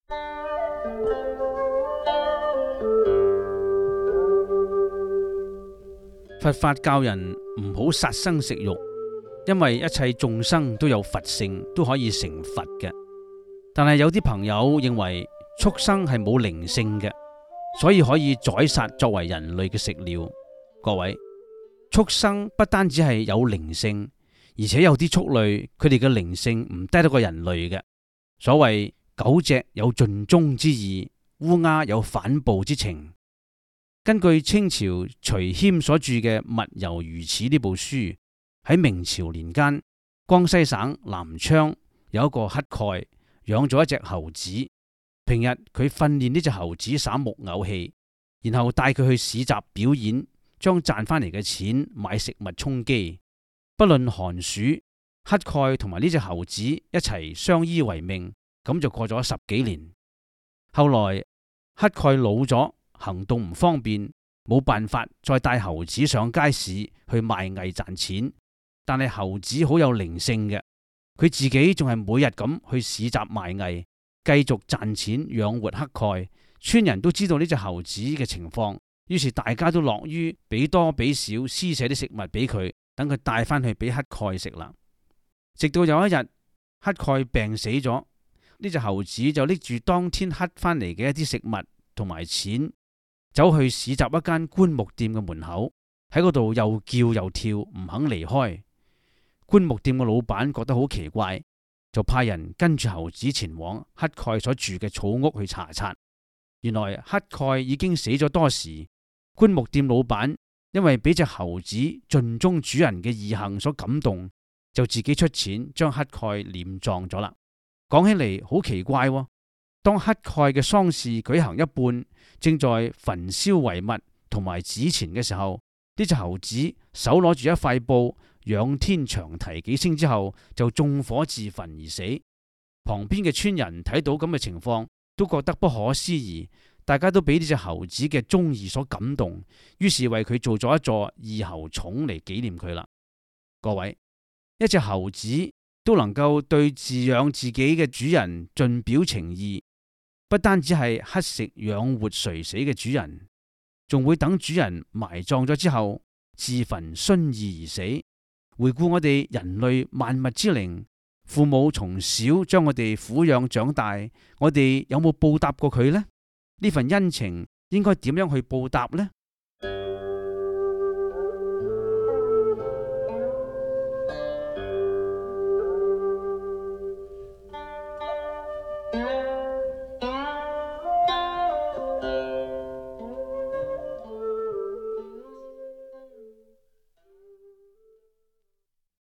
佛法教人唔好殺生食肉，因為一切眾生都有佛性，都可以成佛嘅。但係有啲朋友認為畜生係冇靈性嘅，所以可以宰殺作為人類嘅食料。各位，畜生不單止係有靈性，而且有啲畜類佢哋嘅靈性唔低得過人類嘅。所謂狗隻有盡忠之意，烏鴉有反哺之情。根據清朝徐謙所著嘅《物猶如此》呢部書，喺明朝年間，江西省南昌有一個乞丐養咗一隻猴子。平日佢訓練呢隻猴子耍木偶戲，然後帶佢去市集表演，將賺翻嚟嘅錢買食物充飢。不論寒暑，乞丐同埋呢隻猴子一齊相依為命，咁就過咗10幾年。後來乞丐老咗，行動唔方便，冇辦法再帶猴子上街市去賣藝賺錢。但係猴子好有靈性嘅，佢自己仲係每日咁去市集賣藝，繼續賺錢養活乞丐。村人都知道呢隻猴子嘅情況，於是大家都樂於俾多俾少施捨啲食物俾佢，等佢帶翻去俾乞丐食啦。直到有一日，乞丐病死咗，呢隻猴子就拎住當天乞翻嚟嘅一啲食物同埋錢，走去市集一間棺木店嘅門口，喺嗰度又叫又跳，唔肯離開。棺木店嘅老闆覺得好奇怪，就派人跟住猴子前往乞丐所住嘅草屋去查察。原來乞丐已經死咗多時，棺木店老闆因為俾隻猴子盡忠主人嘅義行所感動，就自己出錢將乞丐殮葬咗啦。講起嚟好奇怪喎，當乞丐嘅喪事舉行一半，正在焚燒遺物同埋紙錢嘅時候，呢隻猴子手攞住一塊布，仰天長啼幾聲之後，就縱火自焚而死。旁邊嘅村人睇到咁嘅情況，都覺得不可思議，大家都俾呢隻猴子嘅忠義所感動，於是為佢做咗一座義猴冢嚟紀念佢啦。各位，一隻猴子都能夠對飼養自己嘅主人盡表情意，不單止係乞食養活垂死嘅主人，仲會等主人埋葬咗之後自焚殉意而死。回顧我哋人類萬物之靈，父母從小將我哋撫養長大，我哋有冇報答過佢呢？呢份恩情應該點樣去報答呢？